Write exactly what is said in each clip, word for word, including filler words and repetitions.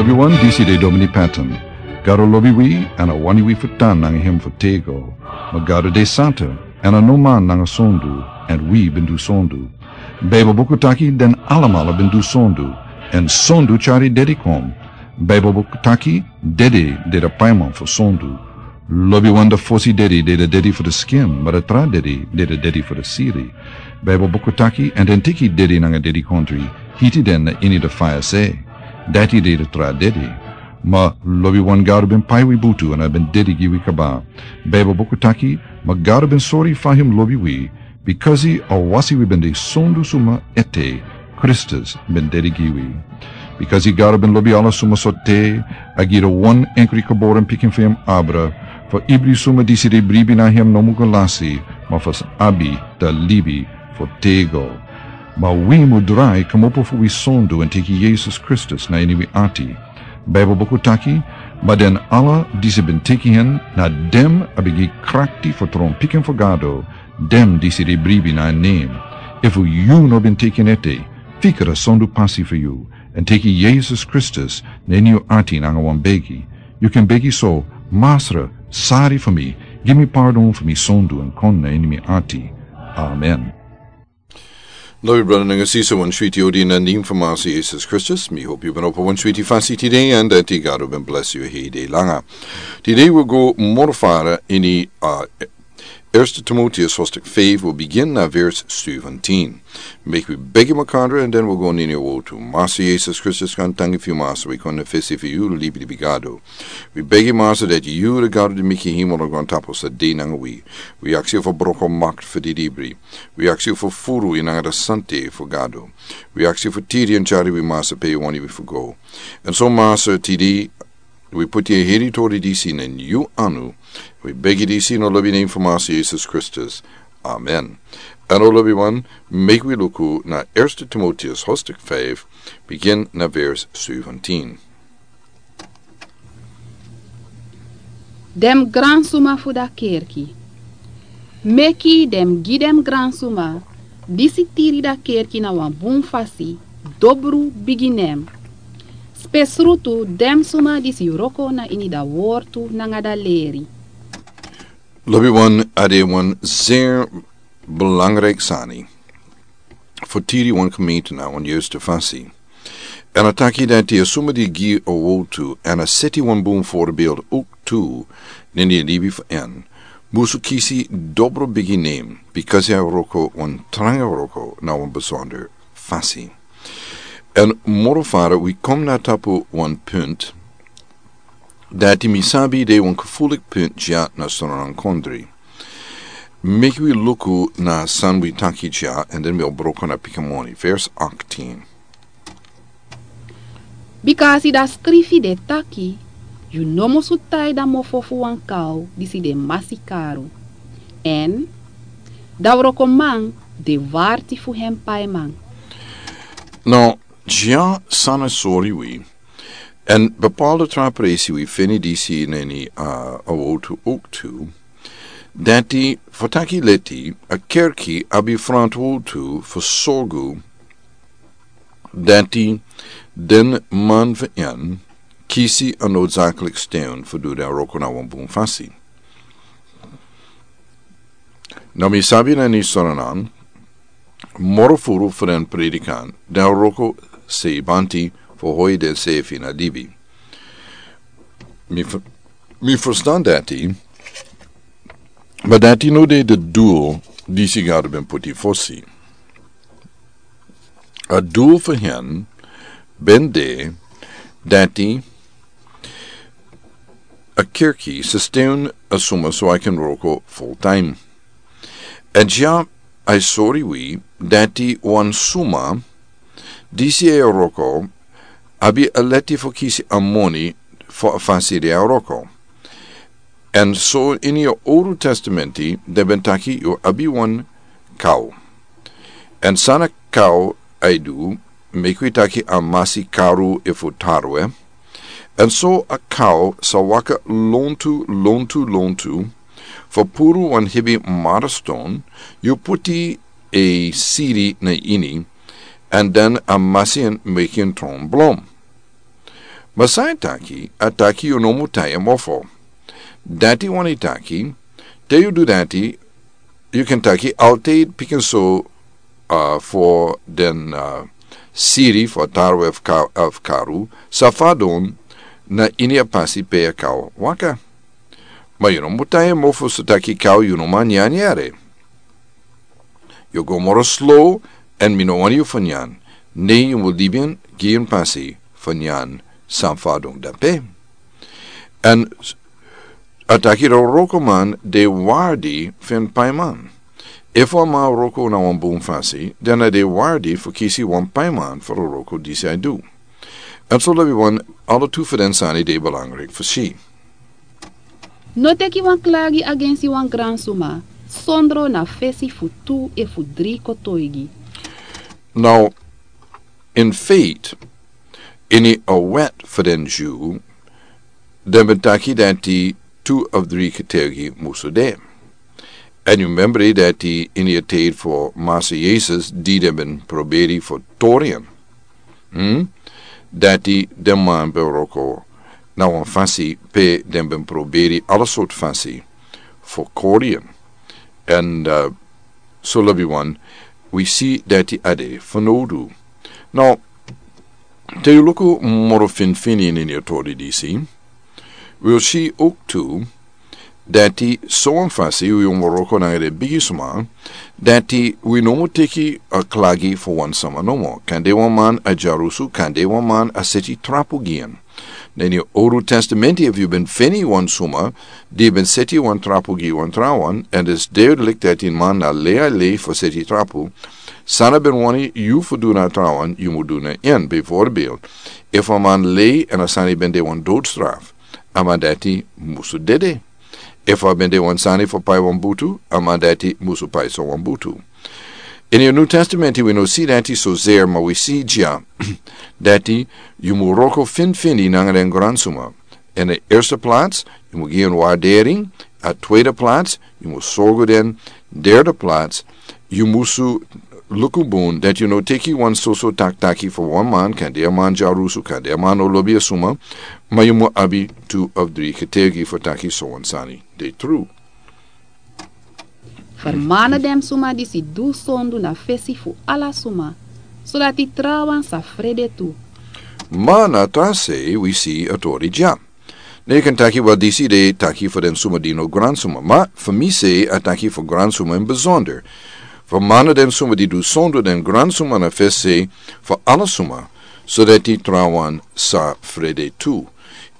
Yu wan disi de Domini Patton. Gado lobi wi, èn a wani wi fu tan nanga hem fu tego. Ma Gado de santa, èn a no man nanga sondu, èn wi ben du sondu. Baibel buku taki den alamala ben du sondu, èn sondu tyari dedi kon. Baibel buku taki dedi de de paiman fu sondu. Lobiwan de fosi dedi de de dedi fu de skin, ma de tra dedi de de dedi fu de siri. Baibel buku taki, èn den teki dedi nanga dedi kontri, hiti den na ini de faya se. Dati de de tra dedi. Ma lobiwan Gado ben pai wi butu èn a ben dedi gi wi kaba. Baibel buku taki, ma Gado ben sori fa hem lobi wi, bikasi a wasi wi ben de sondu suma ete, Kristus ben dedi gi wi. Bikasi Gado ben lobi ala suma so te, a gi de wan enkri kaboren pikin fu hem abra, fu ibri suma disi de bribi na hem no mu go lasi, ma fu abi de libi fu tego. Ma wi mu drai kmopo fu wi sondu èn teki Yesus Kristus na ini wi ati. Baibel buku taki, ma den ala disi ben teki hen, na dem a ben gi krakti fu tron pikin fu Gado, dem disi de bribi na en nen. Efu yu no ben teki en ete, fikra sondu pasi fu yu, èn teki Yesus Kristus na ini yu ati nanga wan begi. Yu ken begi so, Masra, sari fu mi, gi mi pardon fu mi sondu èn kon na ini mi ati. Amen. Lobi brada nanga sisa, wan switi odi na nen fu Masra Yesus Kristus. Mi hopi yu ben opo wan switi fasi tide, èn dati Gado ben bless yu hei de langa. Tide wi go moro fara ini, uh, Eerste Timotheus hoofdstuk vijf, wi bigin na vers zeventien. Meki wi begi makandra, èn den wi go na ini a wotu. Masra Yesus Kristus, kan tangi fu yu Masra, wi kon na fesi fu yu, libi libi Gado. Wi begi Masra dati yu de Gado di meki hemel nanga grontapu sa de nanga wi. Wi aksi yu fu broko makti fu di libri. Wi aksi yu fu furu yu nanga de sante fu Gado. Wi aksi yu fu tiri èn tyari wi Masra pe yu wani wi fu go. Èn so Masra tide, wi puti a heri tori disi na ini yu anu. Wi begi disi na lobi nen fu Masra Yesus Kristus. Amen. Èn o lobiwan, meki wi luku na Eerste Timotheus hoofdstuk vijf, bigin na vers zeventien. Den gransuma fu da kerki. Meki den gi den gransuma disi tiri da kerki na wan bun fasi, dobru bigi nen. Spesrutu den suma disi wroko na ini da wortu nanga da leri. Lobiwan, a de wan zeer belangrijk sani fu tiri wan gemeente na wan juiste fasi. Èn a taki dati a suma di gi a wotu èn a seti wan bun voorbeeld ook tu na ini a libi fu en, musu kisi dobru bigi nen, bikasi a wroko wan tranga wroko na wan besonder fasi. Èn moro fara wi kon na tapu wan punt dati mi sabi de wan gevoelig punt dya na Sranan kondre. Meki wi luku na san wi taki dya, èn den wi o broko na pikin moni. Vers achttien. Bikasi da skrifi de taki, yu no musu tai da mofo fu wan kaw disi de masi karu. Èn da wrokoman de warti fu hen paiman. No, dya san a sori wi. Èn bepaalde tra presi wi feni disi na ini, uh, a wotu ook tu. Dati fu taki leti, a kerki abi frantwotu fu sorgu dati den man fu en kisi a noodzakelik steun fu du den wroko na wan bun fasi. No mi sabi na ini Sranan, moro furu fu den predikan, den wroko sei banti fu hoi den sefi na libi. Mi f-, mi ferstan dati, ma dati no de de dul disi Gado ben puti fosi. A dul fu hen ben de dati a kerki sa steun a suma so a kan wroko full time. Èn dya a sori wi dati wan suma disi e wroko abi a leti fu kisi a moni fu a fasi di a wroko. Èn so ini a Owru Testamenti den ben taki yu abi wan kaw. Èn san a kaw e du, meki wi taki a masi karu efu tarwe. Èn so a kaw sa waka lontu, lontu, lontu, fu puru wan hebi marston, yu puti a sidi na ini, èn den a masi en meki en tron blom. Ma san e taki, a taki yu no mu tai en mofo. Dati wani taki, te yu du dati, yu kan taki altid pikin so, uh, fo den, uh, siri fo tarwe of ka-, of karu, sa fadon na ini a pasi pe a kau waka. Ma yu no mu tai en mofo so taki kau yu no man nyan yere. Yu go moro slow, en mi no wani yu fanyan. Ne yu mu libin gi en pasi fanyan san fadon dape. En a taki ro roko man de wardi fen paiman. Efu a man roko na wan bun fasi, dan a de wardi fu kisi wan paiman fu ro roko disi a du. En so lebi wan ala tu fu den sani de belangrijk fu si. No teki wan klagi agensi wan gransuma, sondro na fesi fu tu e fu dri kotoigi. Now, in faith, ini a wet fu den Jew, den ben taki dati tu of dri kotoigi musu de. En yu membri dati ini a tijd fu Masa Jesus, di den ben proberi fu torian. Hmm? Dati den man ben roko na wan fasi pe den ben proberi ala sort fasi fu korian. En, uh, so lebi wan, wi si dati a de fanowdu. Now, te yu luku moro finfini ini a tori disi, wi o si ook tu, dati so wan fasi wi o moro kon nanga den bigi suma, dati wi no mu teki a klagi fu wan sama nomo. Kande wan man a dyarusu, kande wan man a seti trapu gi en. Na ini a Owru Testamenti efu yu ben feni wan suma di ben seti wan trapu gi wan trawan, en disi duidelijk dati a man na lei a lei fu seti trapu, san a ben wani yu fu du na trawan, yu mu du na en. Bijvoorbeeld, efu a man lei en a sani ben de wan doodstraf, a man dati musu dede. Efu a ben de wan sani fu pai wan butu, a man dati musu pai so wan butu. Ini a New Testament wi no si dati so zeer, ma wi si dya dati yu mu wroko finfini nanga den gransuma. In de eerste plaats, yu mu gi en waardering. A tweede plaats, yu mu sorgu den. Derde plaats, yu musu luku bun dati yu no teki wan soso taktaki fu wan man, kande a man dyarusu, kande a man no lobi a suma, ma yu mu abi tu of dri ketegi fu taki so wan sani de tru. Fermana den suma disi du sondu na fesi fu ala suma, sodati trawan sa frede tu. Ma na tra sei wi si a tori dya. Ne yu kan taki, wel, disi de taki fu den suma di no gransuma, ma fu mi sei a taki fu gransuma in besonder. Fermana den suma di du sondu den gransuma na fesi fu ala suma, sodati trawan sa frede tu.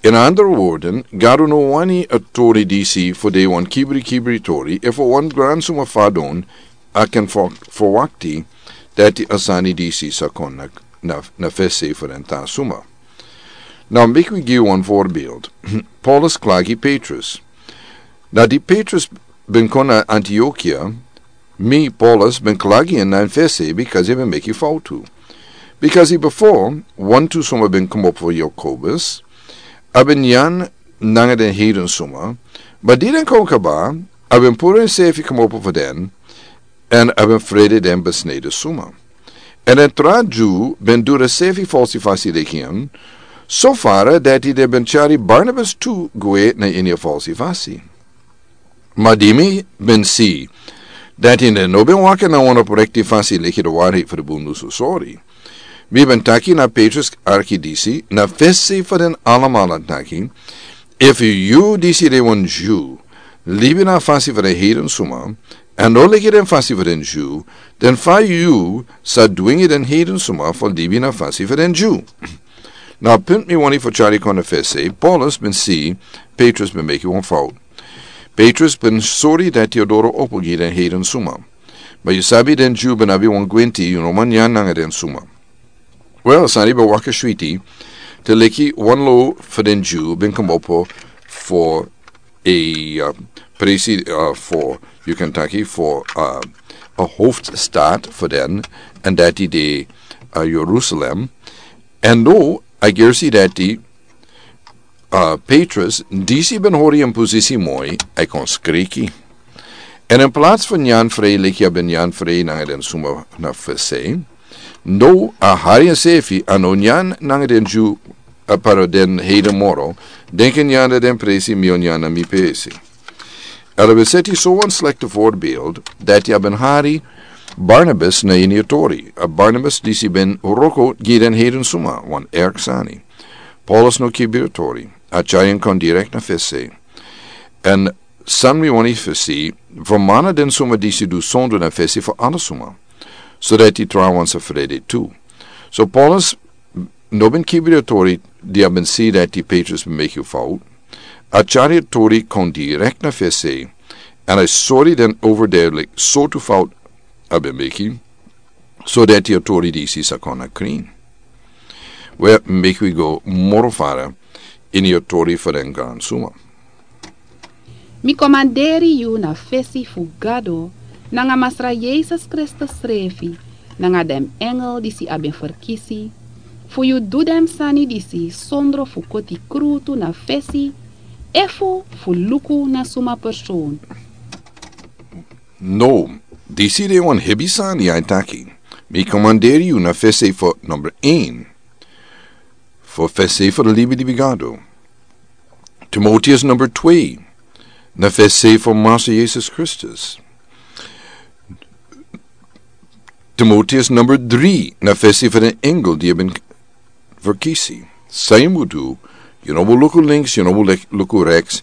In andere woorden, Gado no wani a tori disi fu de wan kibri kibri tori, efu wan gransuma fadon, a kan fu, fu wakti dati a sani disi sa kon na, na, na fesi fu den tra suma. Now, meki wi gi wan voorbeeld. Paulus klagi Petrus. Now, di Petrus ben kon na Antiokia, mi, Paulus, ben klagi en na fesi because a ben meki fowtu. Because a before, wantu suma ben komopo fu Jakobus, a ben nyan nanga den heiden suma, ma di den kon kaba, a ben puru ensefi komopo fu den, en a ben frede den besneden suma. En den tra Dyu ben du den sefi falsi fasi leki en, so fara dati den ben tyari Barnabas tu gwe na ini a falsi fasi. Ma di mi ben si dati den no ben waka na wan oprekti fasi leki de wari fu de bundu so sori. Mi ben taki na Petrus arki disi, na fesi fu den alamala taki, efu yu disi de wan Dyu, libi na fasi fu den heiden suma, en no leki den fasi fu den Dyu, den fa yu sa dwingi den heiden suma fu libi na fasi fu den Dyu. Na punt mi wani fu tyari kon na fesi, Paulus ben si Petrus ben meki wan fout. Petrus ben sori dati a doro opo gi den heiden suma. Ma yu sabi den Dyu ben abi wan gwenti, yu no man nyan nanga den suma. Wel, sani ben waka switi, te leki wan lo fu den Dyu ben komopo fu a, uh, presi, uh, fu, yu kan taki fu, uh, a hoofdstad fu den, en dati de, uh, Jerusalem. En no, a gersi dati, uh, Petrus, disi ben hori en posisi moi, a kon skriki. En in plaats fu nyan frei leki a ben nyan frei nanga den suma na fesi, no, a hari ensefi a no nyan nanga den Dyu A paro den heiden moro, denken yanda den presi mion yanda mi pesi. Ela ben seti so wan slekte voorbeeld, dati a ben hari Barnabas na ini a tori. A Barnabas disi ben roko gi den heiden suma, wan erk sani. Paulus no kibiri a tori, a tyari en kon direkt na fesi. En san mi wani fesi, fu mana den suma disi du sondu na fesi fu ala suma. So dati trawan sa frede tu. So Paulus no ben kibiri a tori di a ben si dati Petrus ben meki fout. A tyari a tori kon direkt na fesi. En a sori den overduidelijk sortu fout a ben meki. So dati a tori disi sa kon na krin. We meki wi go moro fara ini a tori fu den gran suma. Mi komanderi yu na fesi fu Gado, nanga Masra Yesus Kristus srefi, nanga den engel disi a ben ferkisi, fu yu du den sani disi sondro fu koti krutu na fesi, efu fu luku na suma persoon. No, disi de wan hebi sani a e taki. Mi komanderi yu na fesi fu number één. Fu fesi fu de libi di Gado. Timoteus number twee. Na fesi fu Masra Yesus Kristus. Timoteus number drie. Na fesi fu den engel di a ben verkisi. San yu mu du, yu no mu luku links, yu no mu lek-, luku rechts,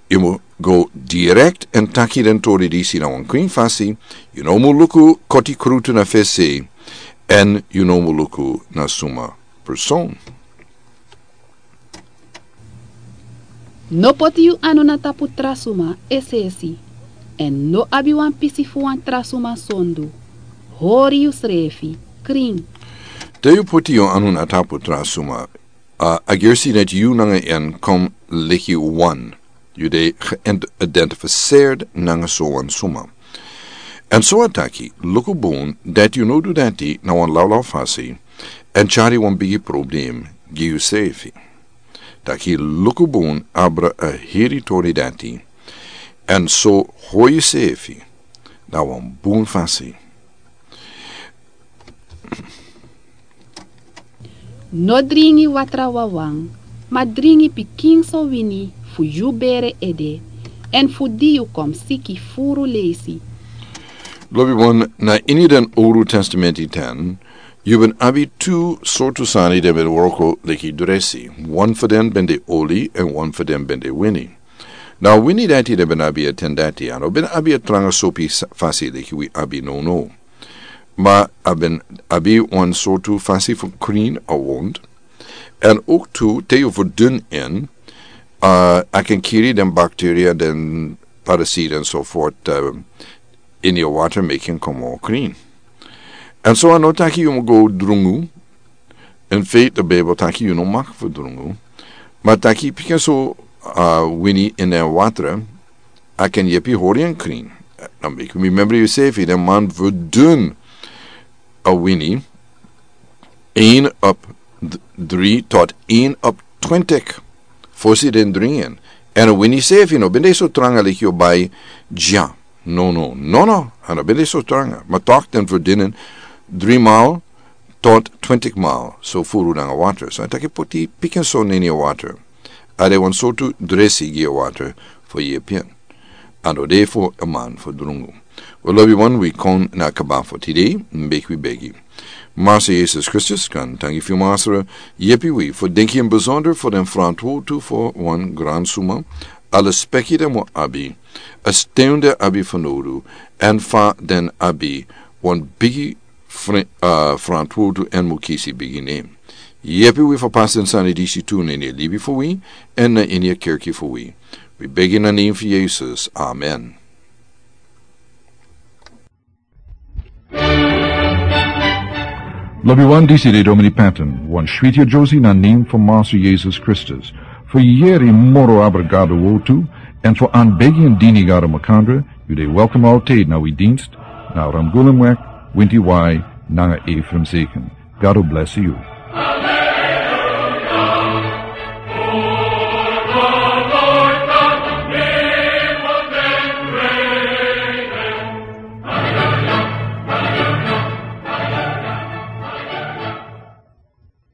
yu mu go direkt en taki den tori disi na wan krin fasi, yu no mu luku koti krutu na fesi, en yu no mu luku na suma persoon. No poti yu anu na tapu tra suma es'esi, en no abi wan pisi fu wan tra suma sondu. Hori yusrefi krin. Te yu poti yu anu na tapu tra suma, a, a gersi dati yu nanga en kon leki wan. Yu de geïdentificeerd nanga so wan suma. En so a taki, luku bun dati yu no du dati na wan lawlaw fasi, en tyari wan bigi problem gi yusrefi. Taki luku bun abra a heri tori dati, en so hori yusrefi na wan bun fasi. No dringi watra wawan, ma dringi pikinso wini fu yu bere ede, en fu di yu kon siki furu leisi. Lobiwan, na ini den Owru Testamenti ten, yu ben abi tu sortu sani den ben wroko leki dresi. Wan fu den ben de oli, en wan fu den ben de wini. Na wini dati den ben abi a ten dati, a no ben abi a tranga sopi sa-, fasi leki wi abi nownow. Ma a ben abi wan sortu fasi fu krin a wond. En ook tu, te yu verdun en, a, a kan kiri den bacteria, den parasiet en so voort, a, ini a water, meki en kon moro krin. En so a no taki yu mu go drungu. In feite, de Bijbel taki yu no mag verdrungu. Ma taki pikinso, a, wini in den water, a kan yepi hori en krin. Dan meki wi member yusrefi, den man verdun a wini, een op d-, drie tot een op twintig. Fosi den dringi en. En a wini srefi no ben de so tranga leki yu bai dya. No, no, no, no. A no ben de so tranga. Ma toch den verdun en drie maal tot twintig maal so furu nanga water. So a taki poti pikinso na ini a water. A de wan sortu dresi gi a water fu yepi en. A no de fu a man fu drungu. We lobiwan, wi kon na kaba fu tide, meki wi begi. Masra Yesus Kristus, kan tangi fu yu Masra, yepi wi fu denki in besonder fu den frantwortu fu wan gran suma, a lespeki den mu abi, a steun den abi fu nodu, en fa den abi wan bigi fre-, a, frantwortu en mu kisi bigi nen. Yepi wi fu pasi den sani disi tu na ini a libi fu wi, en na ini a kerki fu wi. Wi begi na nen fu Yesus. Amen. Lobiwan, disi de Domini Patton, wan switi a Josie na nen fu Masra Yesus Kristus. Fu yeri moro abra Gado wortu, en fu anbegi en dini Gado makandra, yu de welkom altijd na wi dienst, na Ramgulemweg, winti wai, nanga Ephraim Zeken. God bless you.